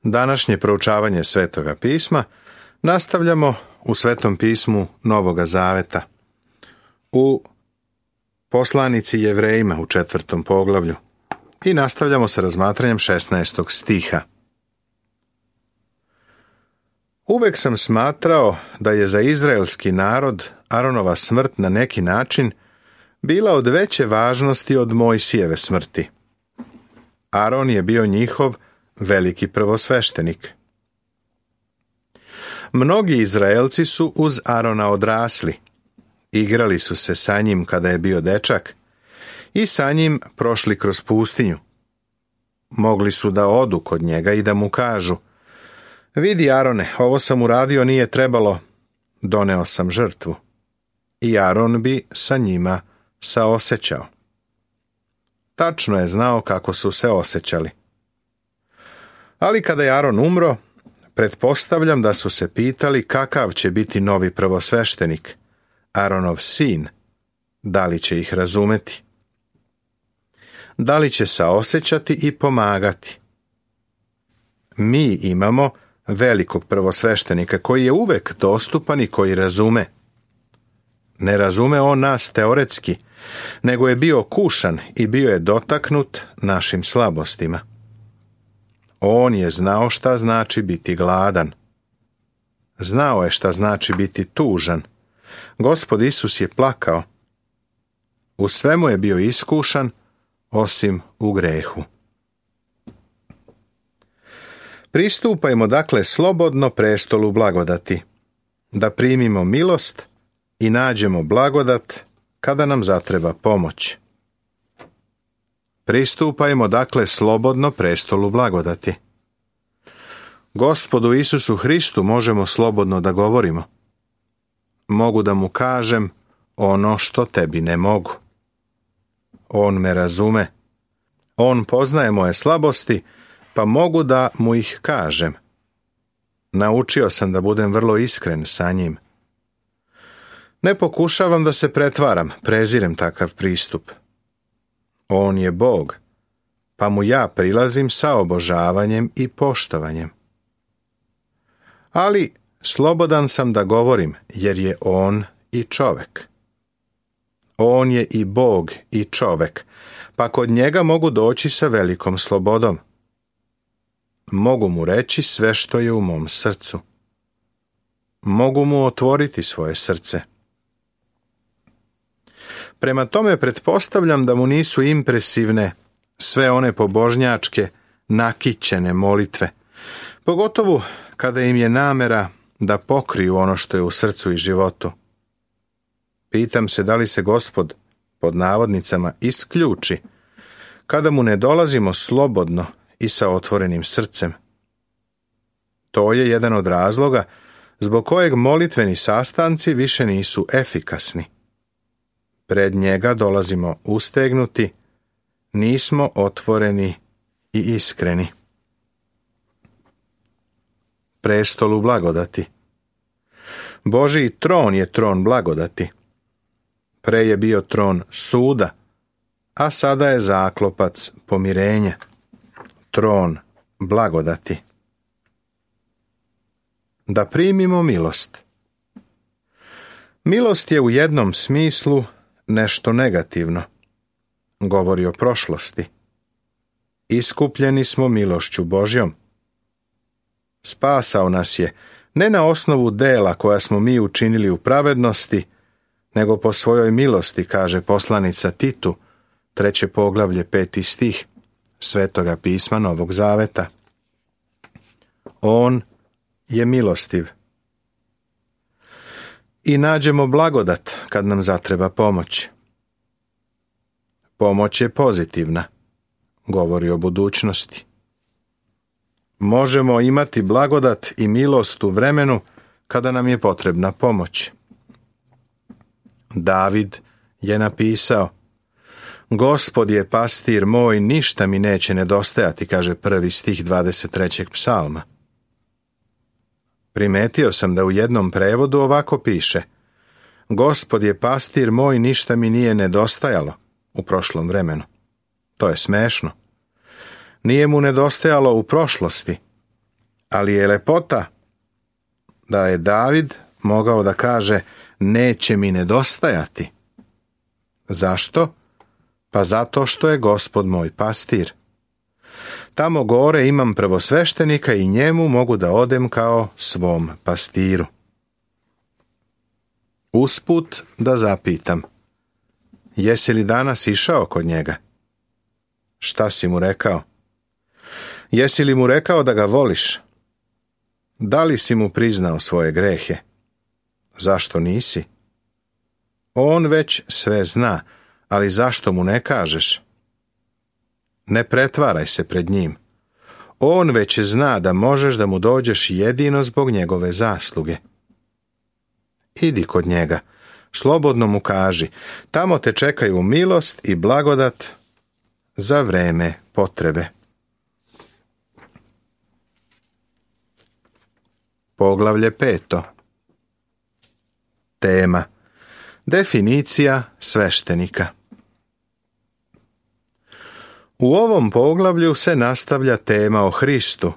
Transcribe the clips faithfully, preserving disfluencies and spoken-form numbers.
Današnje proučavanje Svetoga pisma nastavljamo u Svetom pismu Novoga Zaveta, u poslanici Jevrejima u četvrtom poglavlju, i nastavljamo sa razmatranjem šesnaestog stiha. Uvek sam smatrao da je za izraelski narod Aronova smrt na neki način bila od veće važnosti od Mojsijeve smrti. Aron je bio njihov veliki prvosveštenik. Mnogi Izraelci su uz Arona odrasli, igrali su se sa njim kada je bio dečak i sa njim prošli kroz pustinju. Mogli su da odu kod njega i da mu kažu: vidi, Arone, ovo sam uradio, nije trebalo, doneo sam žrtvu. I Aron bi sa njima saosećao. Tačno je znao kako su se osjećali. Ali kada je Aron umro, pretpostavljam da su se pitali kakav će biti novi prvosveštenik, Aronov sin, da li će ih razumeti, da li će saosećati i pomagati. Mi imamo velikog prvosveštenika koji je uvek dostupan i koji razume. Ne razume on nas teoretski, nego je bio kušan i bio je dotaknut našim slabostima. On je znao šta znači biti gladan. Znao je šta znači biti tužan. Gospod Isus je plakao. U svemu je bio iskušan, osim u grehu. Pristupajmo dakle slobodno prestolu blagodati, da primimo milost i nađemo blagodat kada nam zatreba pomoć. Pristupajmo dakle slobodno prestolu blagodati. Gospodu Isusu Hristu možemo slobodno da govorimo. Mogu da mu kažem ono što tebi ne mogu. On me razume. On poznaje moje slabosti, pa mogu da mu ih kažem. Naučio sam da budem vrlo iskren sa njim. Ne pokušavam da se pretvaram, prezirem takav pristup. On je Bog, pa mu ja prilazim sa obožavanjem i poštovanjem. Ali slobodan sam da govorim, jer je on i čovek. On je i Bog i čovek, pa kod njega mogu doći sa velikom slobodom. Mogu mu reći sve što je u mom srcu. Mogu mu otvoriti svoje srce. Prema tome pretpostavljam da mu nisu impresivne sve one pobožnjačke, nakićene molitve, pogotovo kada im je namera da pokriju ono što je u srcu i životu. Pitam se da li se Gospod, pod navodnicama, isključi kada mu ne dolazimo slobodno i sa otvorenim srcem. To je jedan od razloga zbog kojeg molitveni sastanci više nisu efikasni. Pred njega dolazimo ustegnuti, nismo otvoreni i iskreni. Prestolu blagodati. Božji tron je tron blagodati. Pre je bio tron suda, a sada je zaklopac pomirenja. Tron blagodati. Da primimo milost. Milost je u jednom smislu nešto negativno. Govori o prošlosti. Iskupljeni smo milošću Božjom. Spasao nas je ne na osnovu dela koja smo mi učinili u pravednosti, nego po svojoj milosti, kaže poslanica Titu, treće poglavlje, peti stih Svetoga pisma Novog Zaveta. On je milostiv. I nađemo blagodat kad nam zatreba pomoć. Pomoć je pozitivna, govori o budućnosti. Možemo imati blagodat i milost u vremenu kada nam je potrebna pomoć. David je napisao: Gospod je pastir moj, ništa mi neće nedostajati, kaže prvi stih dvadeset trećeg psalma. Primetio sam da u jednom prevodu ovako piše: Gospod je pastir moj, ništa mi nije nedostajalo u prošlom vremenu. To je smešno. Nije mu nedostajalo u prošlosti, Ali je lepota da je David mogao da kaže neće mi nedostajati. Zašto? Pa zato što je Gospod moj pastir. Tamo gore imam prvosveštenika i njemu mogu da odem kao svom pastiru. Usput da zapitam, jesi li danas išao kod njega? Šta si mu rekao? Jesi li mu rekao da ga voliš? Da li si mu priznao svoje grehe? Zašto nisi? On već sve zna, ali zašto mu ne kažeš? Ne pretvaraj se pred njim. On već zna da možeš da mu dođeš jedino zbog njegove zasluge. Idi kod njega, slobodno mu kaži, tamo te čekaju milost i blagodat za vreme potrebe. Poglavlje peto. Tema. Definicija sveštenika. U ovom poglavlju se nastavlja tema o Hristu,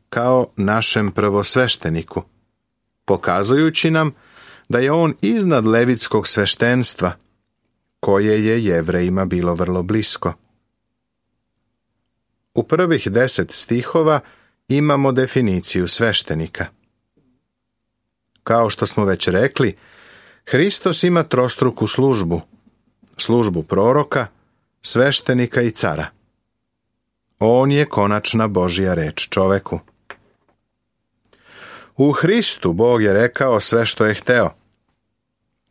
kao našem prvosvešteniku, pokazujući nam da je on iznad levitskog sveštenstva, koje je Jevrejima bilo vrlo blisko. U prvih deset stihova imamo definiciju sveštenika. Kao što smo već rekli, Hristos ima trostruku službu, službu proroka, sveštenika i cara. On je konačna Božja reč čoveku. U Hristu Bog je rekao sve što je hteo.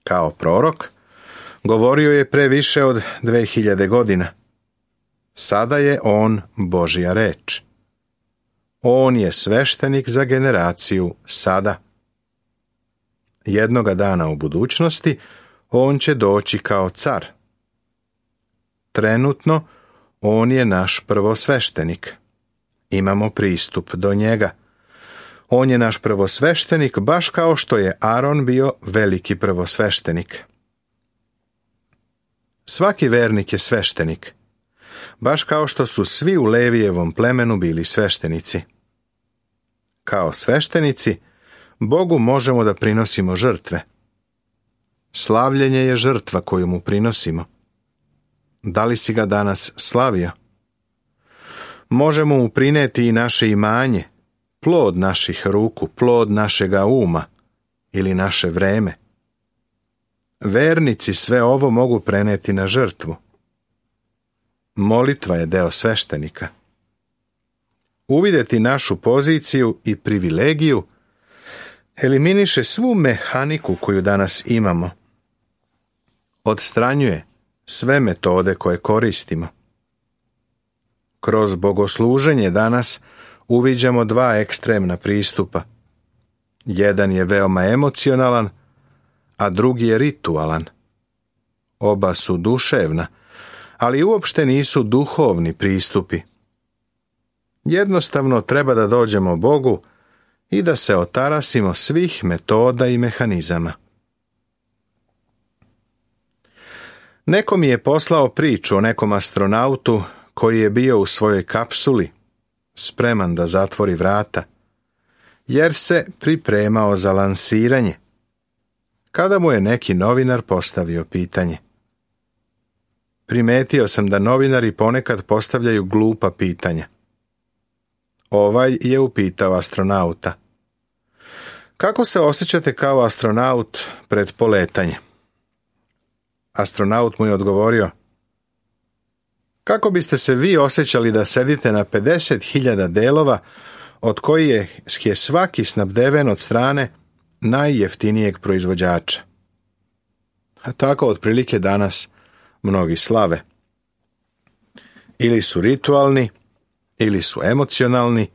Kao prorok, govorio je pre više od dve hiljade godina. Sada je on Božja reč. On je sveštenik za generaciju sada. Jednoga dana u budućnosti on će doći kao car. Trenutno on je naš prvosveštenik. Imamo pristup do njega. On je naš prvosveštenik baš kao što je Aron bio veliki prvosveštenik. Svaki vernik je sveštenik, baš kao što su svi u Levijevom plemenu bili sveštenici. Kao sveštenici, Bogu možemo da prinosimo žrtve. Slavljenje je žrtva koju mu prinosimo. Da li si ga danas slavio? Možemo mu prineti i naše imanje, plod naših ruku, plod našega uma ili naše vreme. Vernici sve ovo mogu preneti na žrtvu. Molitva je deo sveštenika. Uvideti našu poziciju i privilegiju eliminiše svu mehaniku koju danas imamo. Odstranjuje sve metode koje koristimo. Kroz bogosluženje danas uviđamo dva ekstremna pristupa. Jedan je veoma emocionalan, a drugi je ritualan. Oba su duševna, ali uopšte nisu duhovni pristupi. Jednostavno treba da dođemo Bogu i da se otarasimo svih metoda i mehanizama. Neko mi je poslao priču o nekom astronautu koji je bio u svojoj kapsuli, spreman da zatvori vrata, jer se pripremao za lansiranje, kada mu je neki novinar postavio pitanje. Primetio sam da novinari ponekad postavljaju glupa pitanja. Ovaj je upitao astronauta: kako se osjećate kao astronaut pred poletanje? Astronaut mu je odgovorio: kako biste se vi osjećali da sedite na pedeset hiljada delova od kojih je, je svaki snabdeven od strane najjeftinijeg proizvođača? A tako otprilike danas mnogi slave. Ili su ritualni, ili su emocionalni,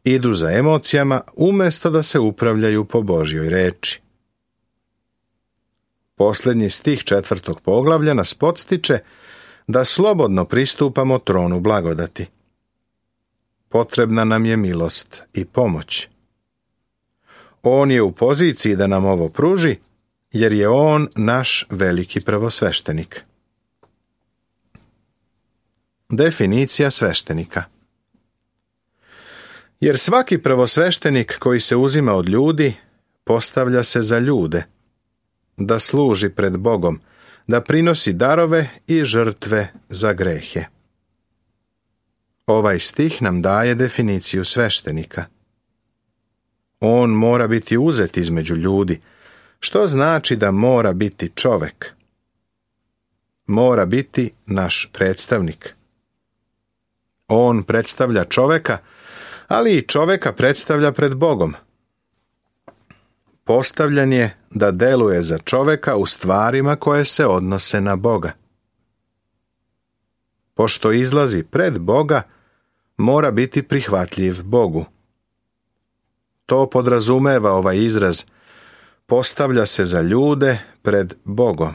idu za emocijama umjesto da se upravljaju po Božjoj reči. Posljednji stih četvrtog poglavlja nas podstiče da slobodno pristupamo tronu blagodati. Potrebna nam je milost i pomoć. On je u poziciji da nam ovo pruži, jer je on naš veliki prvosveštenik. Definicija sveštenika. Jer svaki prvosveštenik koji se uzima od ljudi, postavlja se za ljude, da služi pred Bogom, da prinosi darove i žrtve za grehe. Ovaj stih nam daje definiciju sveštenika. On mora biti uzet između ljudi, što znači da mora biti čovek. Mora biti naš predstavnik. On predstavlja čoveka, ali i čoveka predstavlja pred Bogom. Postavljan je da deluje za čoveka u stvarima koje se odnose na Boga. Pošto izlazi pred Boga, mora biti prihvatljiv Bogu. To podrazumeva ovaj izraz, postavlja se za ljude pred Bogom.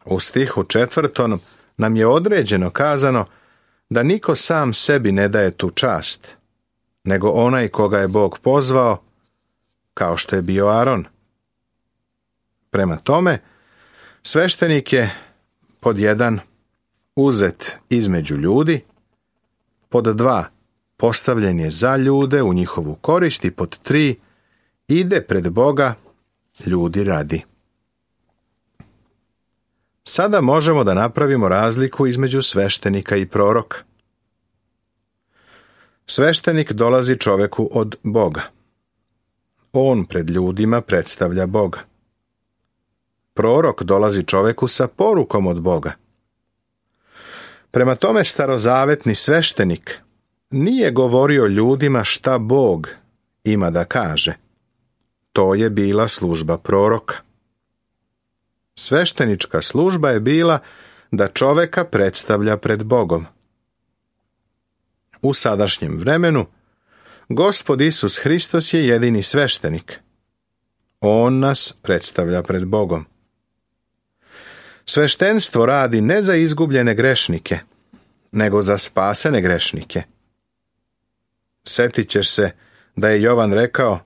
U stihu četvrtom nam je određeno kazano da niko sam sebi ne daje tu čast, nego onaj koga je Bog pozvao, kao što je bio Aron. Prema tome, sveštenik je pod jedan uzet između ljudi, pod dva postavljen je za ljude u njihovu korist i pod tri ide pred Boga ljudi radi. Sada možemo da napravimo razliku između sveštenika i proroka. Sveštenik dolazi čoveku od Boga. On pred ljudima predstavlja Boga. Prorok dolazi čoveku sa porukom od Boga. Prema tome, starozavetni sveštenik nije govorio ljudima šta Bog ima da kaže. To je bila služba proroka. Sveštenička služba je bila da čoveka predstavlja pred Bogom. U sadašnjem vremenu Gospod Isus Hristos je jedini sveštenik. On nas predstavlja pred Bogom. Sveštenstvo radi ne za izgubljene grešnike, nego za spasene grešnike. Setit ćeš se da je Jovan rekao: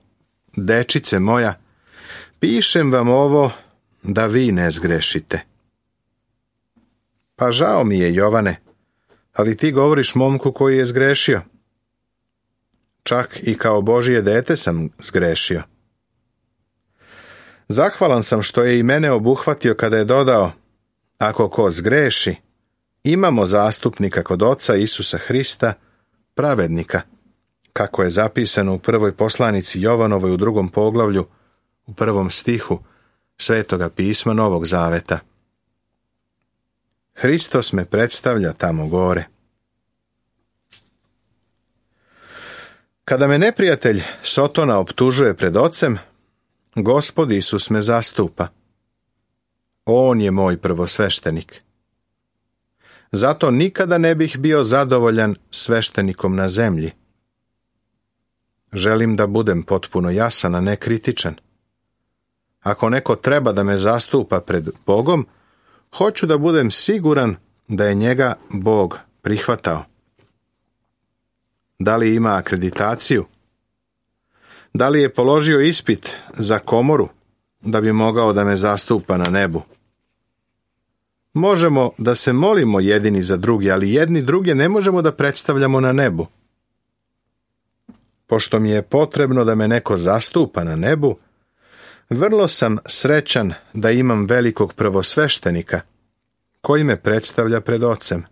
dečice moja, pišem vam ovo da vi ne zgrešite. Pa žao mi je, Jovane, ali ti govoriš momku koji je zgrešio. Čak i kao Božije dete sam zgrešio. Zahvalan sam što je i mene obuhvatio kada je dodao: ako ko zgreši, imamo zastupnika kod Oca Isusa Hrista, pravednika, kako je zapisano u prvoj poslanici Jovanovoj u drugom poglavlju, u prvom stihu Svetoga pisma Novog Zaveta. Hristos me predstavlja tamo gore. Kada me neprijatelj Sotona optužuje pred Ocem, Gospod Isus me zastupa. On je moj prvosveštenik. Zato nikada ne bih bio zadovoljan sveštenikom na zemlji. Želim da budem potpuno jasan, a ne kritičan. Ako neko treba da me zastupa pred Bogom, hoću da budem siguran da je njega Bog prihvatao. Da li ima akreditaciju? Da li je položio ispit za komoru da bi mogao da me zastupa na nebu? Možemo da se molimo jedini za drugi, ali jedni druge ne možemo da predstavljamo na nebu. Pošto mi je potrebno da me neko zastupa na nebu, vrlo sam srećan da imam velikog prvosveštenika koji me predstavlja pred Ocem.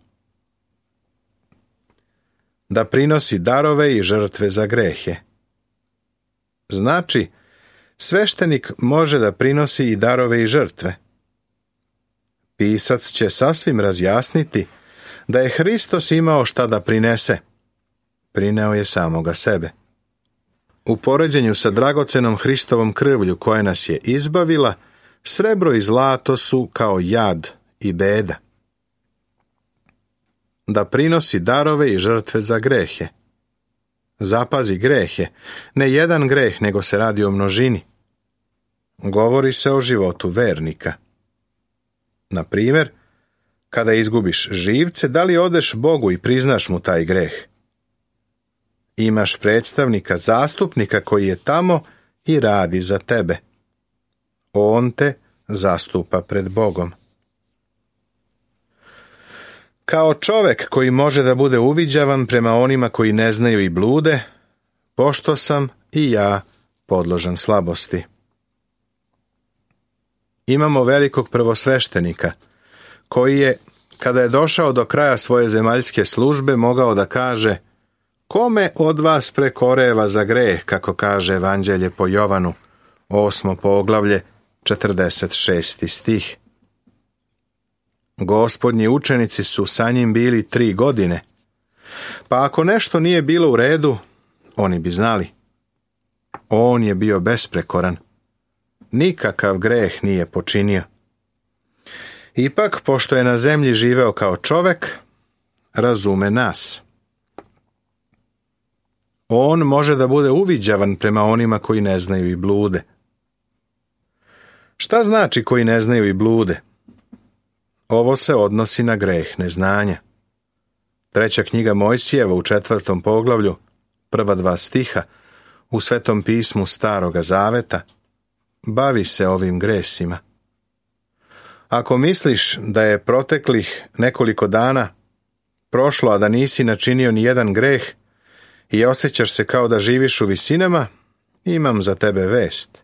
Da prinosi darove i žrtve za grehe. Znači, sveštenik može da prinosi i darove i žrtve. Pisac će sasvim razjasniti da je Hristos imao šta da prinese. Prineo je samoga sebe. U poređenju sa dragocenom Hristovom krvlju koja nas je izbavila, srebro i zlato su kao jad i beda. Da prinosi darove i žrtve za grehe. Zapazi grehe, ne jedan greh, nego se radi o množini. Govori se o životu vernika. Na primjer, kada izgubiš živce, da li odeš Bogu i priznaš mu taj greh? Imaš predstavnika, zastupnika koji je tamo i radi za tebe. On te zastupa pred Bogom. Kao čovek koji može da bude uviđavan prema onima koji ne znaju i blude, pošto sam i ja podložan slabosti. Imamo velikog prvosveštenika, koji je, kada je došao do kraja svoje zemaljske službe, mogao da kaže: kome od vas prekoreva za greh, kako kaže Evanđelje po Jovanu, osmo poglavlje, četrdeset šesti stih. Gospodnji učenici su sa njim bili tri godine, pa ako nešto nije bilo u redu, oni bi znali. On je bio besprekoran. Nikakav greh nije počinio. Ipak, pošto je na zemlji živeo kao čovek, razume nas. On može da bude uviđavan prema onima koji ne znaju i blude. Šta znači koji ne znaju i blude? Ovo se odnosi na greh neznanja. Treća knjiga Mojsijeva u četvrtom poglavlju, prva dva stiha, u Svetom pismu Staroga Zaveta, bavi se ovim gresima. Ako misliš da je proteklih nekoliko dana prošlo, a da nisi načinio ni jedan greh i osjećaš se kao da živiš u visinama, imam za tebe vest.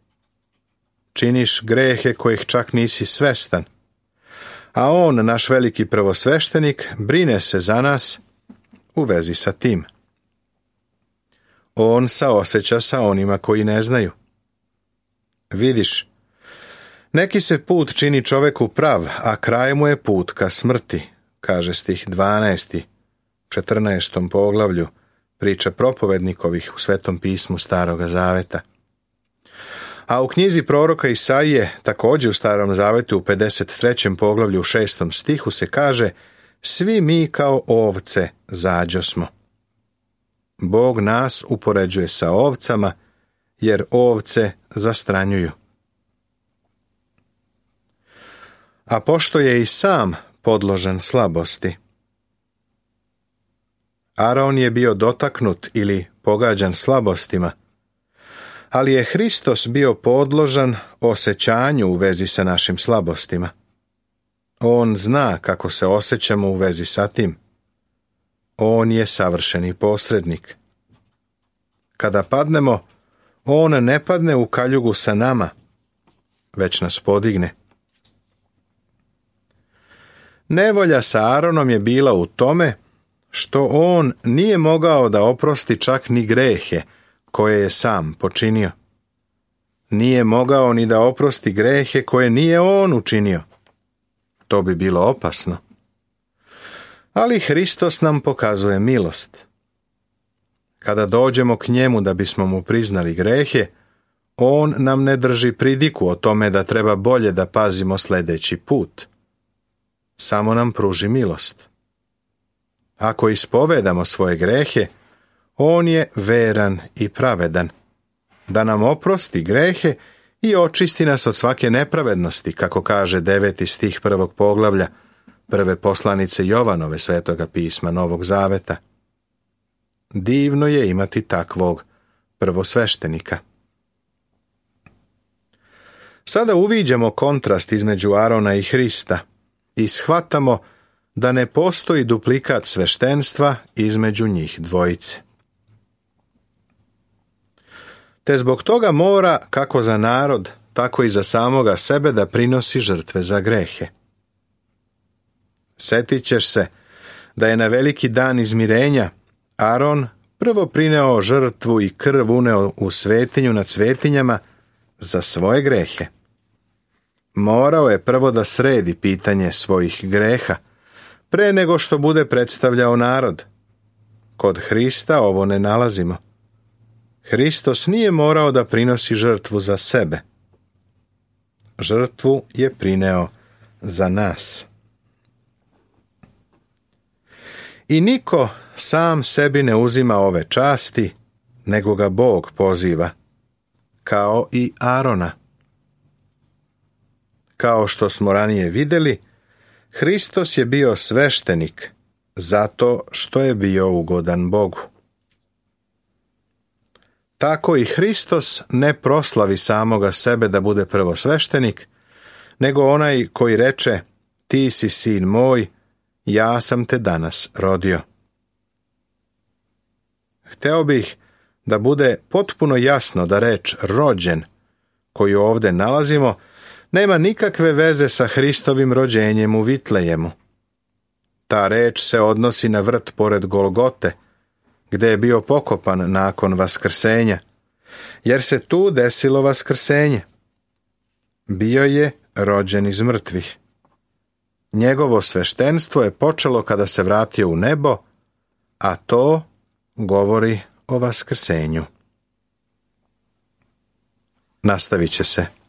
Činiš grehe kojih čak nisi svestan, a on, naš veliki prvosveštenik, brine se za nas u vezi sa tim. On saoseća sa onima koji ne znaju. Vidiš, neki se put čini čoveku prav, a kraj mu je put ka smrti, kaže stih dvanaesti, četrnaestom poglavlju, priča propovednikovih u Svetom pismu Staroga Zaveta. A u knjizi proroka Isaije, također u Starom Zavetu, u pedeset trećem poglavlju u šestom stihu se kaže: svi mi kao ovce zađosmo. Bog nas upoređuje sa ovcama, jer ovce zastranjuju. A pošto je i sam podložen slabosti. Aron je bio dotaknut ili pogađan slabostima, ali je Hristos bio podložan osjećanju u vezi sa našim slabostima. On zna kako se osjećamo u vezi sa tim. On je savršeni posrednik. Kada padnemo, on ne padne u kaljugu sa nama, već nas podigne. Nevolja sa Aronom je bila u tome što on nije mogao da oprosti čak ni grehe koje je sam počinio. Nije mogao ni da oprosti grehe koje nije on učinio. To bi bilo opasno. Ali Hristos nam pokazuje milost. Kada dođemo k njemu da bismo mu priznali grehe, on nam ne drži pridiku o tome da treba bolje da pazimo sljedeći put. Samo nam pruži milost. Ako ispovedamo svoje grehe, on je veran i pravedan, da nam oprosti grehe i očisti nas od svake nepravednosti, kako kaže deveti stih prvog poglavlja prve poslanice Jovanove Svetoga pisma Novog Zaveta. Divno je imati takvog prvosveštenika. Sada uviđamo kontrast između Arona i Hrista i shvatamo da ne postoji duplikat sveštenstva između njih dvojice. Te zbog toga mora, kako za narod, tako i za samoga sebe, da prinosi žrtve za grehe. Setit ćeš se da je na veliki dan izmirenja Aron prvo prineo žrtvu i krv uneo u svetinju nad svetinjama za svoje grehe. Morao je prvo da sredi pitanje svojih greha, pre nego što bude predstavljao narod. Kod Hrista ovo ne nalazimo. Hristos nije morao da prinosi žrtvu za sebe. Žrtvu je prineo za nas. I niko sam sebi ne uzima ove časti, nego ga Bog poziva, kao i Arona. Kao što smo ranije vidjeli, Hristos je bio sveštenik zato što je bio ugodan Bogu. Tako i Hristos ne proslavi samoga sebe da bude prvosveštenik, nego onaj koji reče: ti si sin moj, ja sam te danas rodio. Hteo bih da bude potpuno jasno da reč rođen, koju ovdje nalazimo, nema nikakve veze sa Hristovim rođenjem u Vitlejemu. Ta reč se odnosi na vrt pored Golgote, gdje je bio pokopan nakon vaskrsenja, jer se tu desilo vaskrsenje. Bio je rođen iz mrtvih. Njegovo sveštenstvo je počelo kada se vratio u nebo, a to govori o vaskrsenju. Nastavit će se.